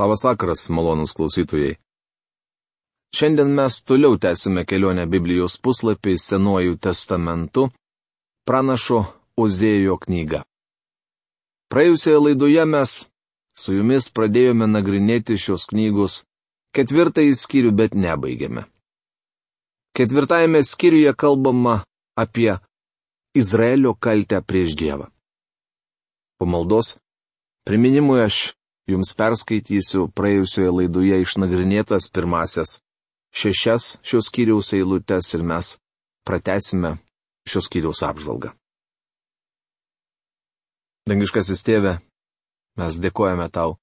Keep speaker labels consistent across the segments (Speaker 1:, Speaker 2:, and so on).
Speaker 1: Labas vakaras, malonūs klausytojai. Šiandien mes toliau tęsime kelionę Biblijos puslapiais Senuoju testamentu, pranašo Ozėjo knygą. Praėjusioje laidoje mes su jumis pradėjome nagrinėti šios knygos 4 skyrių, bet nebaigėme. 4 skyriuje kalbama apie Izraelio kaltę prieš Dievą. Po maldos priminimui aš jums perskaitysiu praėjusioje laidoje išnagrinėtas pirmasias 6 šios skyriaus eilutes ir mes pratęsime šios skyriaus apžvalgą. Dangiškasis Tėve, mes dėkojame tau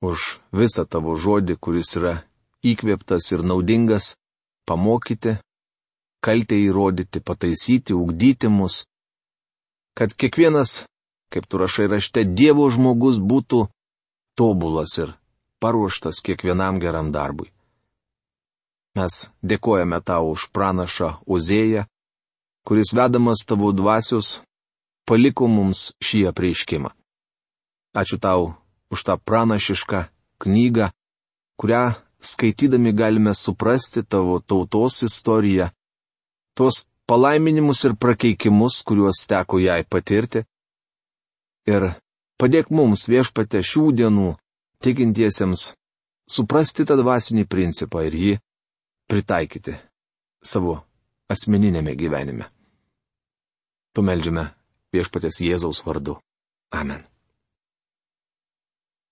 Speaker 1: už visą tavo žodį, kuris yra įkvėptas ir naudingas pamokyti, kaltę įrodyti, pataisyti, ugdyti mus, kad kiekvienas, kaip tu rašai rašte, Dievo žmogus būtų tobulas ir paruoštas kiekvienam geram darbui. Mes dėkojame tau už pranašą Ozėją, kuris vedamas tavo dvasios paliko mums šį apreiškimą. Ačiū tau už tą pranašišką knygą, kurią skaitydami galime suprasti tavo tautos istoriją, tuos palaiminimus ir prakeikimus, kuriuos teko jai patirti. Ir padėk mums, Viešpatie, šių dienų tikintiesiems suprasti tą dvasinį principą ir jį pritaikyti savo asmeninėme gyvenime. Tu meldžiame Viešpaties Jėzaus vardu. Amen.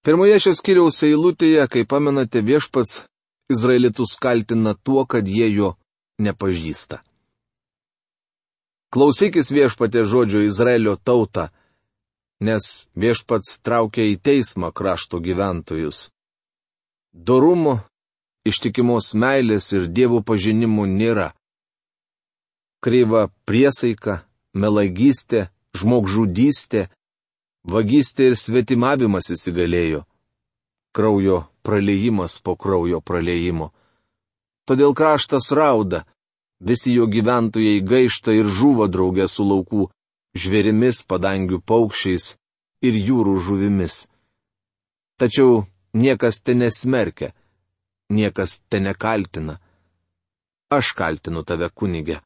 Speaker 1: Pirmoje šios skyriaus eilutėje, kaip pamenate, Viešpats Izraelitus kaltina tuo, kad jie jo nepažįsta. Klausykis, Viešpatie, žodžio Izraelio tauta, nes Viešpats traukia į teismą krašto gyventojus. Dorumo, ištikimos meilės ir Dievo pažinimo nėra. Kreiva priesaika, melagystė, žmogžudystė, vagystė ir svetimavimas įsigalėjo. Kraujo praleijimas po kraujo praleijimo. Todėl kraštas rauda, visi jo gyventojai gaišta ir žūva draugė su laukų žvėrimis, padangių paukščiais ir jūrų žuvimis. Tačiau niekas te nesmerkia, niekas te nekaltina. Aš kaltinu tave, kunige.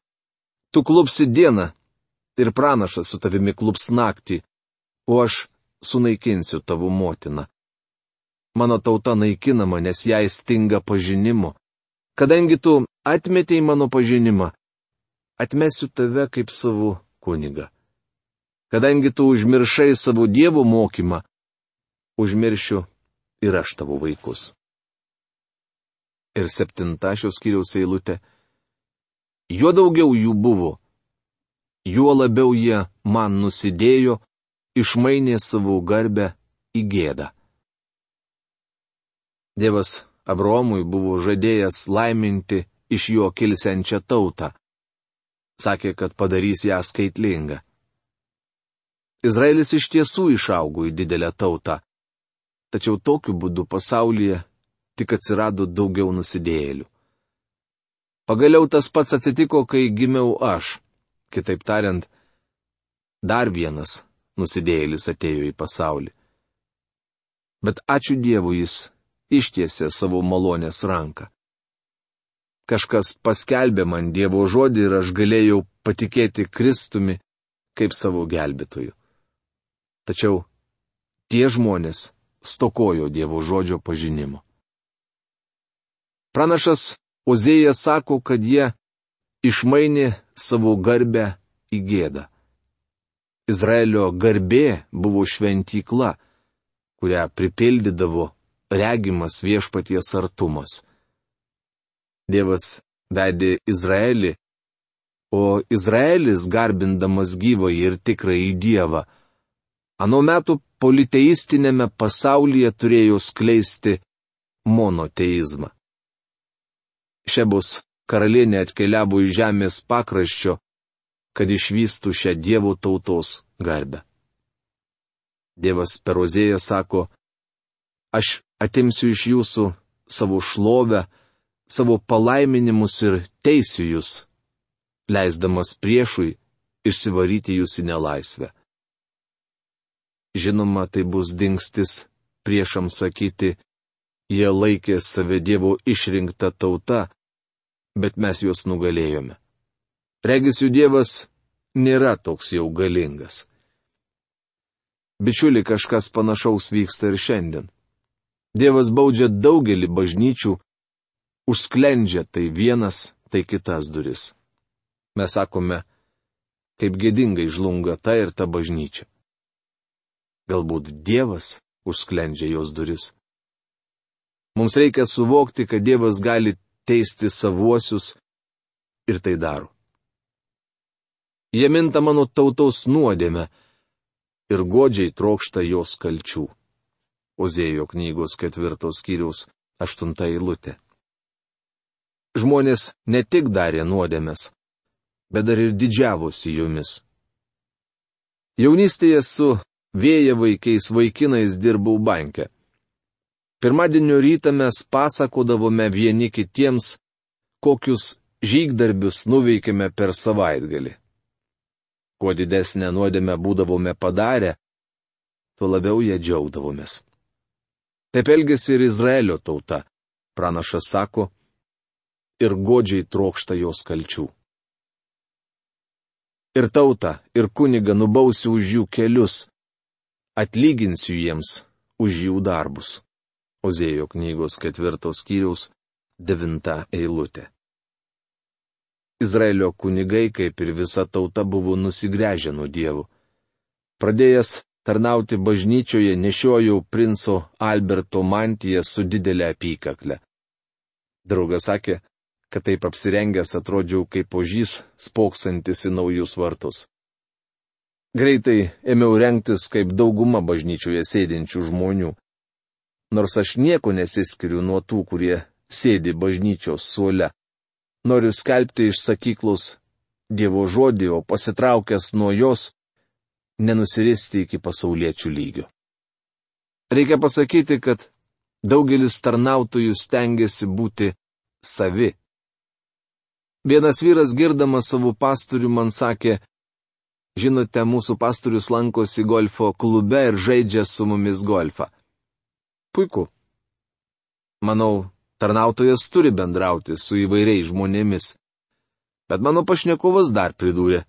Speaker 1: Tu klupsi dieną ir pranašas su tavimi klups naktį, o aš sunaikinsiu tavo motiną. Mano tauta naikinama, nes jai stinga pažinimo. Kadangi tu atmetei mano pažinimą, atmesiu tave kaip savo kunigą. Kadangi tu užmiršai savo Dievo mokymą, užmiršiu ir aš tavo vaikus. Ir 7 šios skyriaus eilutė. Juo daugiau jų buvo, juo labiau jie man nusidėjo, išmainė savo garbę į gėdą. Dievas Abraomui buvo žadėjęs laiminti iš jo kilsiančią tautą. Sakė, kad padarys ją skaitlingą. Izraelis iš tiesų išaugo į didelę tautą, tačiau tokiu būdu pasaulyje tik atsirado daugiau nusidėjėlių. Pagaliau tas pats atsitiko, kai gimiau aš. Kitaip tariant, dar vienas nusidėjėlis atėjo į pasaulį. Bet ačiū Dievui, jis ištiesė savo malonės ranką. Kažkas paskelbė man Dievo žodį ir aš galėjau patikėti Kristumi kaip savo gelbėtoju. Tačiau tie žmonės stokojo Dievo žodžio pažinimo. Pranašas Ozėjas sako, kad jie išmainė savo garbę į gėdą. Izraelio garbė buvo šventykla, kurią pripildydavo regimas Viešpaties artumas. Dievas vedė Izraelį, o Izraelis, garbindamas gyvąjį ir tikrąjį Dievą, ano metų politeistinėme pasaulyje turėjo skleisti monoteizmą. Šebos karalienė atkeliavo į žemės pakraščio, kad išvystų šią Dievo tautos garbę. Dievas per Ozėją sako, aš atimsiu iš jūsų savo šlovę, savo palaiminimus ir teisiu jūs, leisdamas priešui išsivaryti jūs į nelaisvę. Žinoma, tai bus dingstis priešams sakyti, Jie laikė save Dievo išrinkta tauta, bet mes juos nugalėjome. Regis jų Dievas nėra toks jau galingas. Bičiuli, kažkas panašaus vyksta ir šiandien. Dievas baudžia daugelį bažnyčių, užsklendžia tai vienas, tai kitas duris. Mes sakome, kaip gėdingai žlunga ta ir ta bažnyčia. Galbūt Dievas užsklendžia jos duris. Mums reikia suvokti, kad Dievas gali teisti savuosius ir tai daro. Jie minta mano tautos nuodėmę ir godžiai trokšta jos kalčių. Ozėjo knygos 4 skyriaus 8 eilutė. Žmonės ne tik darė nuodėmes, bet dar ir didžiavosi jomis. Jaunystėje su vėjavaikiais vaikinais dirbau banke. Pirmadienio rytą mes pasakodavome vieni kitiems, kokius žygdarbius nuveikėme per savaitgalį. Kuo didesnę nuodėmę būdavome padarę, tuo labiau ją džiaugdavomės. Taip elgėsi ir Izraelio tauta, pranašas sako, ir godžiai trokšta jos kalčių. Ir tautą, ir kunigą nubausiu už jų kelius, atlyginsiu jiems už jų darbus. Ozėjo knygos 4 skyriaus 9 eilutė. Izraelio kunigai, kaip ir visa tauta, buvo nusigręžę nuo Dievo. Pradėjęs tarnauti bažnyčioje, nešiojau princo Alberto mantiją su didelė apykakle. Draugas sakė, kad taip apsirengęs atrodžiau kaip ožys, spoksantis į naujus vartus. Greitai ėmiau rengtis kaip dauguma bažnyčioje sėdinčių žmonių. Nors aš nieko nesiskiriu nuo tų, kurie sėdi bažnyčios suole. Noriu skelbti iš sakyklos Dievo žodį, o pasitraukęs nuo jos, nenusiristi iki pasauliečių lygio. Reikia pasakyti, kad daugelis tarnautojų stengiasi būti savi. Vienas vyras, girdamas savo pastorių, man sakė, žinote, mūsų pastorius lankosi golfo klube ir žaidžia su mumis golfą. Puiku. Manau, tarnautojas turi bendrauti su įvairiais žmonėmis. Bet mano pašnekovas dar pridūrė.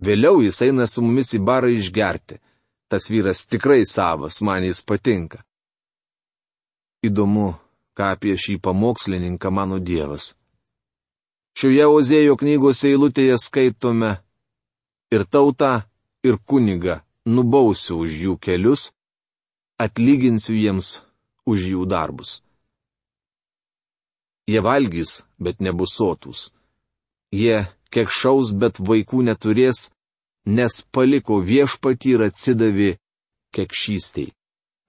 Speaker 1: Vėliau jis eina su mumis į barą išgerti. Tas vyras tikrai savas, man jis patinka. Įdomu, ką apie šį pamokslininką mano Dievas. Šioje Ozėjo knygos eilutėje skaitome, ir tautą, ir kunigą nubausiu už jų kelius, atlyginsiu jiems už jų darbus. Jie valgys, bet nebus sotūs. Jie kekšaus, bet vaikų neturės, nes paliko viešpatį ir atsidavė kekšystei.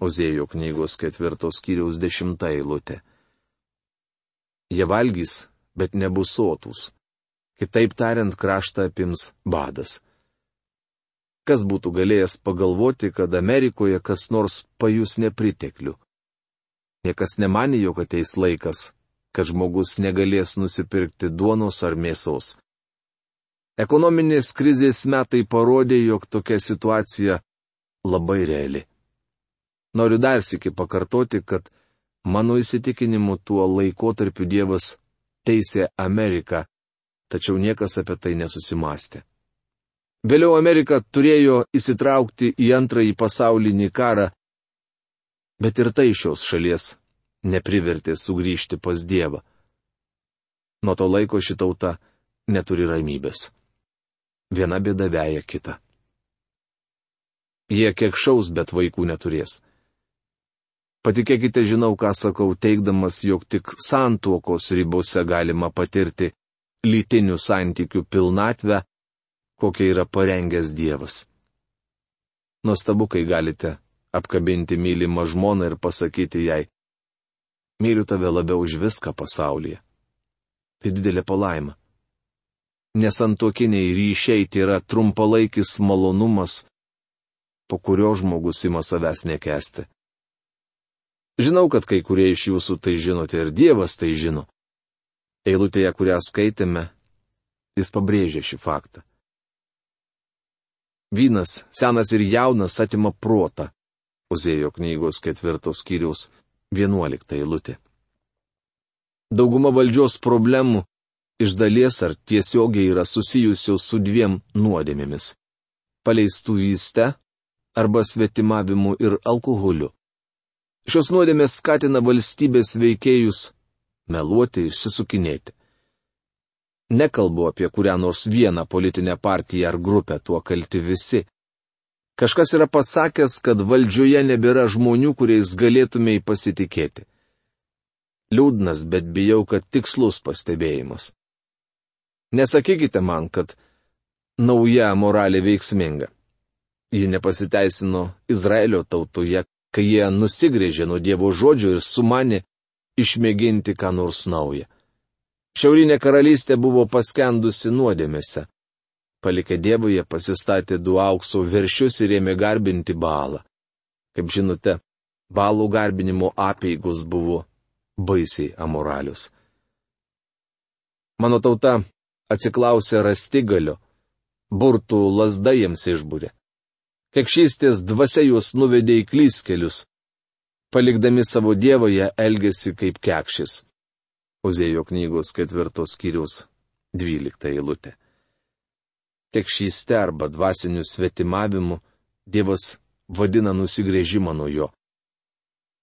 Speaker 1: Ozėjo knygos 4 skyriaus 10 eilutė. Jie valgys, bet nebus sotūs. Kitaip tariant, kraštą apims badas. Kas būtų galėjęs pagalvoti, kad Amerikoje kas nors pajus nepriteklių? Niekas nemanė, jog ateis laikas, kad žmogus negalės nusipirkti duonos ar mėsos. Ekonominės krizės metai parodė, jog tokia situacija labai reali. Noriu dar sykį pakartoti, kad mano įsitikinimu tuo laikotarpiu Dievas teisė Ameriką, tačiau niekas apie tai nesusimastė. Vėliau Amerika turėjo įsitraukti į antrąjį pasaulinį karą, bet ir tai šios šalies neprivertė sugrįžti pas Dievą. Nuo to laiko ši tauta neturi ramybės. Viena bėda veja kitą. Jie kekšaus, bet vaikų neturės. Patikėkite, žinau, ką sakau, teigdamas, jog tik santuokos ribose galima patirti lytinių santykių pilnatvę, kokia yra parengęs Dievas. Nuostabu, kai galite apkabinti mylimą žmoną ir pasakyti jai, myliu tave labiau už viską pasaulyje. Tai didelė palaima. Nesantuokiniai ryšiai tai yra trumpalaikis malonumas, po kurio žmogus ima savęs nekęsti. Žinau, kad kai kurie iš jūsų tai žinote ir Dievas tai žino. Eilutėje, kurią skaitėme, jis pabrėžė šį faktą. Vynas, senas ir jaunas, atima protą. Ozėjo knygos 4 skyriaus 11 eilutė. Dauguma valdžios problemų iš dalies ar tiesiogiai yra susijusios su dviem nuodėmėmis - paleistuvyste arba svetimavimu ir alkoholiu. Šios nuodėmės skatina valstybės veikėjus meluoti ir išsisukinėti. Nekalbu apie kurią nors vieną politinę partiją ar grupę, tuo kalti visi. Kažkas yra pasakęs, kad valdžioje nebėra žmonių, kuriais galėtumei pasitikėti. Liūdnas, bet bijau, kad tikslus pastebėjimas. Nesakykite man, kad nauja moralė veiksminga. Ji nepasiteisino Izraelio tautoje, kai jie nusigrėžė nuo Dievo žodžio ir sumanė išmėginti ką nors naują. Šiaurinė karalystė buvo paskendusi nuodėmėse. Palikę Dievą, jie pasistatė 2 aukso veršius ir ėmė garbinti Baalą. Kaip žinote, Baalo garbinimo apeigos buvo baisiai amoralius. Mano tauta atsiklausė rastigalio, burtų lazda jiems išbūrė. Kekšystės dvasia juos nuvedė į klystkelius. Palikdami savo Dievą, jie elgėsi kaip kekšis. Ozėjo knygos 4 skyriaus 12 eilutė. Kekšyste arba dvasiniu svetimavimu Dievas vadina nusigręžimą nuo jo.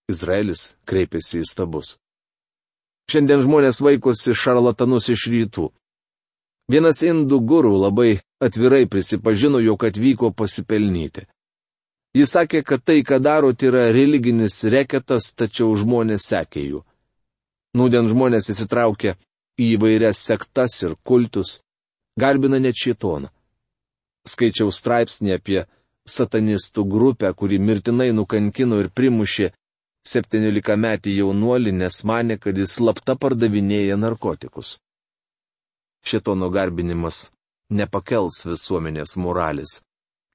Speaker 1: Izraelis kreipėsi į stabus. Šiandien žmonės vaikosi šarlatanus iš rytų. Vienas indų gurų labai atvirai prisipažino, jog atvyko pasipelnyti. Jis sakė, kad tai, ką daro, tai yra religinis reketas, tačiau žmonės sekė jų. Nūdien žmonės įsitraukia į įvairias sektas ir kultus, garbina net šėtoną. Skaičiau straipsnį apie satanistų grupę, kuri mirtinai nukankino ir primušė 17-metį jaunuolį, nes manė, kad jis slapta pardavinėja narkotikus. Šėtono garbinimas nepakels visuomenės moralės.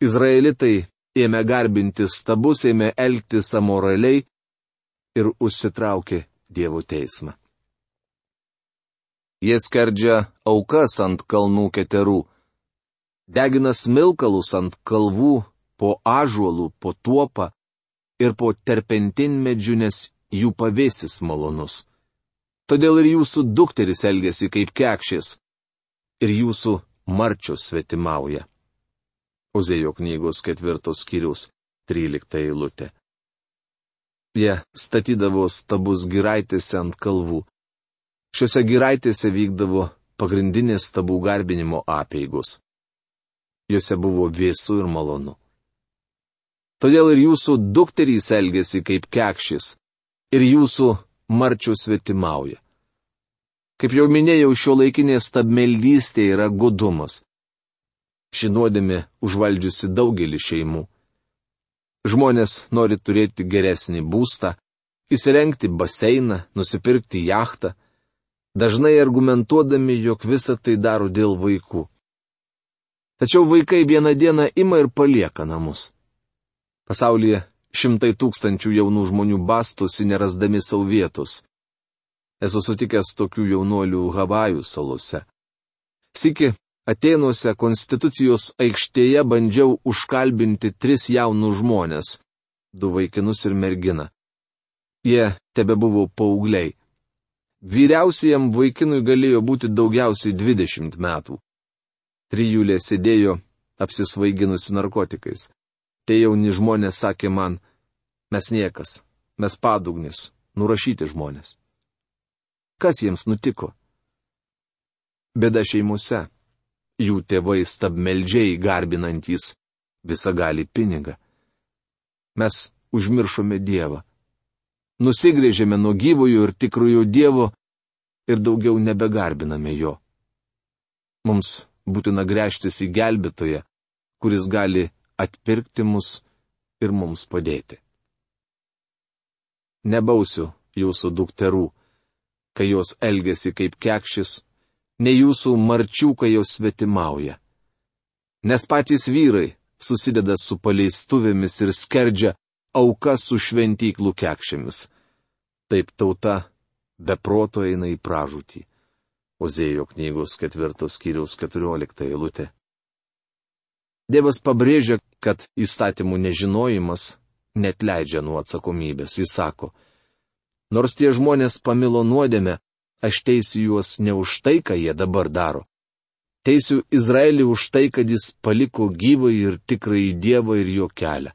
Speaker 1: Izraelitai ėmė garbinti stabus, ėmė elgtis amoraliai ir užsitraukė Dievo teismą. Jie skerdžia aukas ant kalnų keterų, degina smilkalus ant kalvų, po ąžuolų, po tuopą ir po terpentinmedžių, nes jų pavėsis malonus. Todėl ir jūsų dukteris elgesi kaip kekšės, ir jūsų marčios svetimauja. Ozėjo knygos 4 skyriaus 13 eilutė. Jie statydavo stabus giraitėse ant kalvų. Šiuose giraitėse vykdavo pagrindinės stabų garbinimo apeigos. Juose buvo vėsu ir malonu. Todėl ir jūsų dukterys elgesi kaip kekšės, ir jūsų marčios svetimauja. Kaip jau minėjau, šiuolaikinė stabmeldystė yra godumas. Ši nuodėmė užvaldžiusi daugelį šeimų. Žmonės nori turėti geresnį būstą, įsirengti baseiną, nusipirkti jachtą, dažnai argumentuodami, jog visą tai daro dėl vaikų. Tačiau vaikai vieną dieną ima ir palieka namus. Pasaulyje 100 000 jaunų žmonių bastosi nerasdami savo vietos. Esu sutikęs tokių jaunuolių Havajų salose. Sykį Atėnuose Konstitucijos aikštėje bandžiau užkalbinti 3 jaunus žmonės, 2 vaikinus ir merginą. Jie tebebuvo paaugliai. Vyriausiajam vaikinui galėjo būti daugiausiai 20 metų. 3 sėdėjo apsisvaiginusi narkotikais. Tie jauni žmonės sakė man, mes niekas, mes padugnis, nurašyti žmonės. Kas jiems nutiko? Bėda šeimose. Jų tėvai stabmeldžiai garbinantys visagalį pinigą. Mes užmiršome Dievą. Nusigrėžėme nuo gyvojo ir tikrojo Dievo ir daugiau nebegarbiname jo. Mums būtina gręžtis į gelbėtoją, kuris gali atpirkti mus ir mums padėti. Nebausiu jūsų dukterų, kai jos elgesi kaip kekšis, ne jūsų marčių, kai jos svetimauja. Nes patys vyrai susideda su paleistuvėmis ir skerdžia aukas su šventyklų kekšėmis. Taip tauta be proto eina į pražūtį. Ozėjo knygos 4 skyriaus 14 eilutė. Dievas pabrėžia, kad įstatymų nežinojimas neatleidžia nuo atsakomybės. Jis sako, Nors tie žmonės pamilo nuodėmę, aš teisiu juos ne už tai, ką jie dabar daro. Teisiu Izraelį už tai, kad jis paliko gyvąjį ir tikrąjį Dievą ir jo kelią.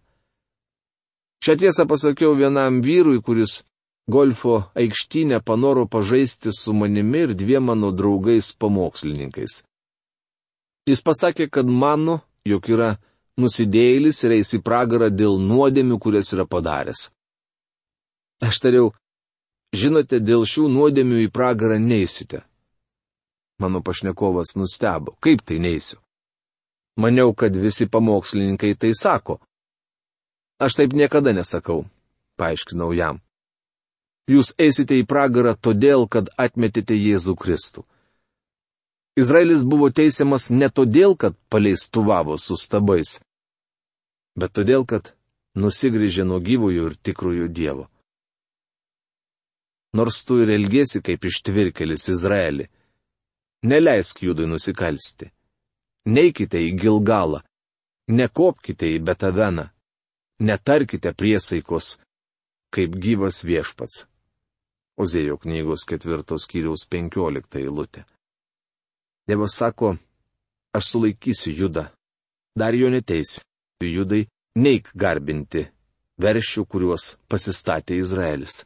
Speaker 1: Šią tiesą pasakiau vienam vyrui, kuris golfo aikštynę panoro pažaisti su manimi ir dviem mano draugais pamokslininkais. Jis pasakė, kad mano, jog yra nusidėjėlis ir eis į pragarą dėl nuodėmių, kurias yra padaręs. Aš tariau, žinote, dėl šių nuodėmių į pragarą neisite. Mano pašnekovas nustebo, kaip tai neisiu. Maniau, kad visi pamokslininkai tai sako. Aš taip niekada nesakau, paaiškinau jam. Jūs eisite į pragarą todėl, kad atmetėte Jėzų Kristų. Izraelis buvo teisiamas ne todėl, kad paleistuvavo su stabais, bet todėl, kad nusigręžė nuo gyvojo ir tikrojo Dievo. Nors tu ir elgiesi kaip ištvirkelis Izraelį, neleisk Judui nusikalsti. Neikite į Gilgalą, nekopkite į Betaveną, netarkite priesaikos, kaip gyvas viešpats. Ozėjo knygos 4 skyriaus 15 eilutė. Dievas sako, aš sulaikysiu Judą, dar jo neteisiu. Judai, neik garbinti veršių, kuriuos pasistatė Izraelis.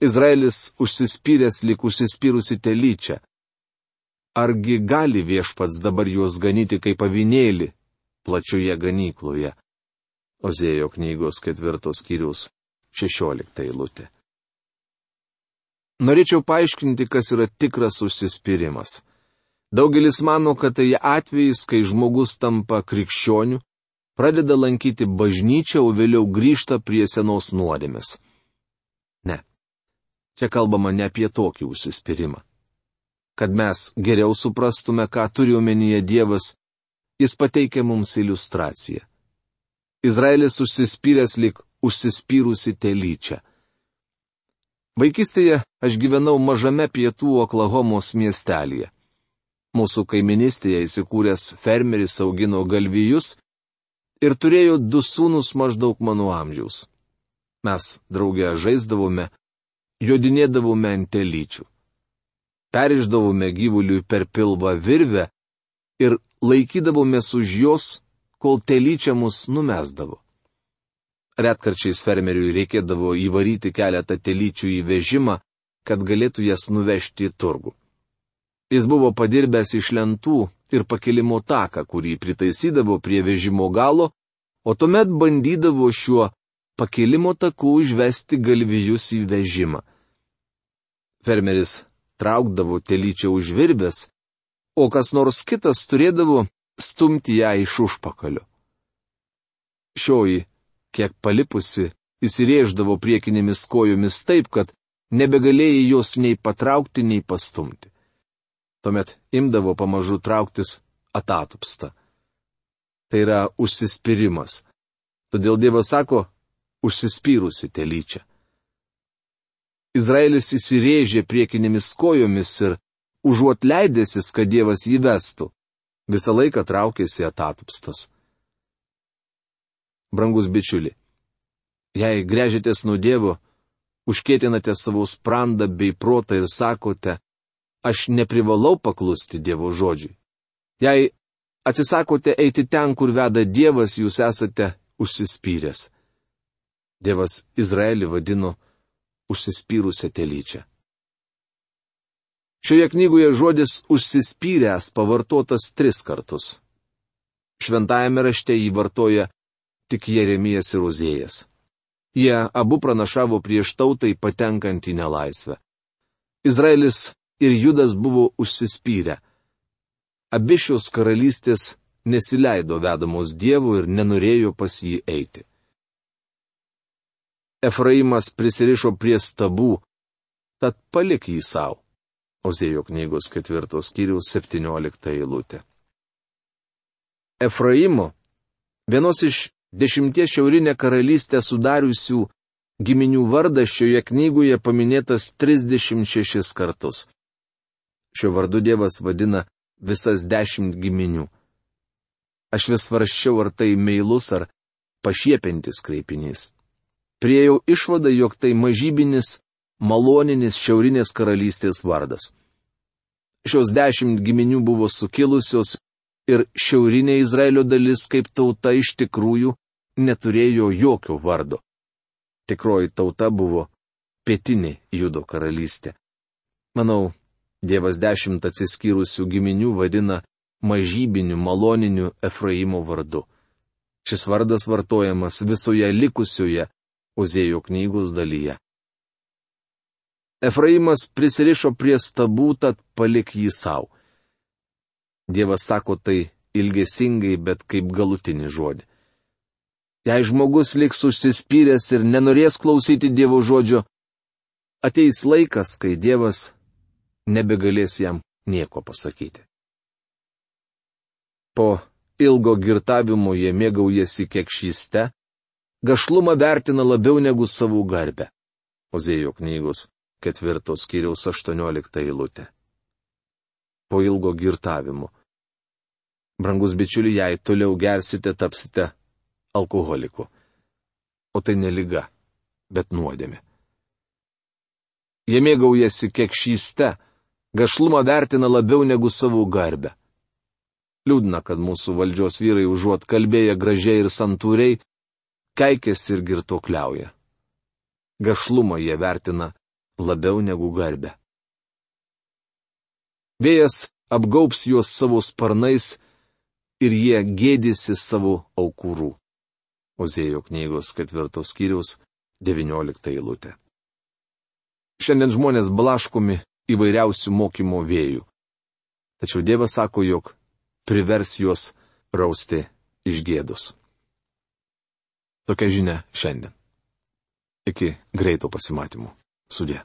Speaker 1: Izraelis užsispyręs lyg užsispyrusi telyčia. Argi gali viešpats dabar juos ganyti kaip avinėlį plačioje ganykloje? Ozėjo knygos 4 skyriaus 16 eilutė. Norėčiau paaiškinti, kas yra tikras užsispyrimas. Daugelis mano, kad tai atvejis, kai žmogus tampa krikščioniu, pradeda lankyti bažnyčią, o vėliau grįžta prie senos nuodėmės. Ne. Čia kalbama ne apie tokį užsispyrimą. Kad mes geriau suprastume, ką turi omenyje Dievas, jis pateikia mums iliustraciją. Izraelis užsispyręs lyg užsispyrusi telyčia. Vaikystėje aš gyvenau mažame pietų Oklahomos miestelėje. Mūsų kaiminystėje įsikūręs fermeris augino galvijus ir turėjo 2 sūnus maždaug mano amžiaus. Mes drauge žaisdavome, jodinėdavome ant telyčių. Periždavome gyvuliui per pilvą virvę ir laikydavomės už jos, kol telyčia mus numesdavo. Retkarčiais fermeriui reikėdavo įvaryti keletą telyčių į vežimą, kad galėtų jas nuvežti į turgų. Jis buvo padirbęs iš lentų ir pakilimo taką, kurį pritaisydavo prie vežimo galo, o tuomet bandydavo šiuo pakilimo taku išvesti galvijus į vežimą. Fermeris traukdavo telyčią už virvės, o kas nors kitas turėdavo stumti ją iš užpakalio. Šioji, kiek palipusi, įsirėždavo priekinėmis kojomis taip, kad nebegalėjai jos nei patraukti, nei pastumti. Tuomet imdavo pamažu trauktis atatupsta. Tai yra užsispyrimas. Todėl Dievas sako, užsispyrusi telyčia. Izraelis įsirėžė priekinėmis kojomis ir, užuot leidęsis, kad Dievas jį vestų, visą laiką traukėsi atatupstas. Brangus bičiuli, jei gręžitės nuo Dievo, užkėtinate savo sprandą bei protą ir sakote, aš neprivalau paklusti Dievo žodžiui. Jei atsisakote eiti ten, kur veda Dievas, jūs esate užsispyręs. Dievas Izraelį vadino užsispyrusią telyčią. Šioje knygoje žodis užsispyręs pavartotas 3 kartus. Šventajame rašte jį vartoja tik Jeremijas ir Ozėjas. Jie abu pranašavo prieš tautai patenkant į nelaisvę. Izraelis ir Judas buvo užsispyrę. Abi šios karalystės nesileido vedamos Dievo ir nenorėjo pas jį eiti. Efraimas prisirišo prie stabų, tad palik jį savo. Ozėjo knygos 4 skyriaus 17 eilutė. Efraimo, vienos iš 10 šiaurinę karalystę sudariusių giminių vardas šioje knygoje paminėtas 36 kartus. Šiuo vardu Dievas vadina visas 10 giminių. Aš vis svarsčiau, ar tai meilus ar pašiepintis kreipinys. priejau išvadą, jog tai mažybinis, maloninis šiaurinės karalystės vardas. Šios 10 giminių buvo sukilusios ir šiaurinė Izraelio dalis kaip tauta iš tikrųjų neturėjo jokio vardo. Tikroji tauta buvo pietinė Judo karalystė. Manau, Dievas 10 atsiskyrusių giminių vadina mažybiniu maloniniu Efraimo vardu. Šis vardas vartojamas visoje likusioje Ozėjo knygos dalyje. Efraimas prisirišo prie stabų, tad palik jį savo. Dievas sako tai ilgesingai, bet kaip galutinį žodį. Jei žmogus liks užsispyręs ir nenorės klausyti Dievo žodžio, ateis laikas, kai Dievas nebegalės jam nieko pasakyti. Po ilgo girtavimo jie mėgaujasi kekšyste, gašlumą vertina labiau negu savų garbę. Ozėjo knygos 4 skyriaus 18 eilutė. Po ilgo girtavimo. Brangus bičiuli, jei toliau gersite, tapsite alkoholiku. O tai ne liga, bet nuodėmė. Jie mėgaujasi kekšyste, gašlumą vertina labiau negu savų garbę. Liūdna, kad mūsų valdžios vyrai užuot kalbėję gražiai ir santūriai, keikėsi ir girtuokliauja. Gašlumą jie vertina labiau negu garbę. Vėjas apgaubs juos savo sparnais ir jie gėdysi savo aukurų. Ozėjo knygos 4 skyriaus 19 eilutė. Šiandien žmonės blaškomi įvairiausių mokymo vėjų. Tačiau Dievas sako, jog privers juos rausti iš gėdos. Tokia žinia šiandien. Iki greito pasimatymų. Sudie.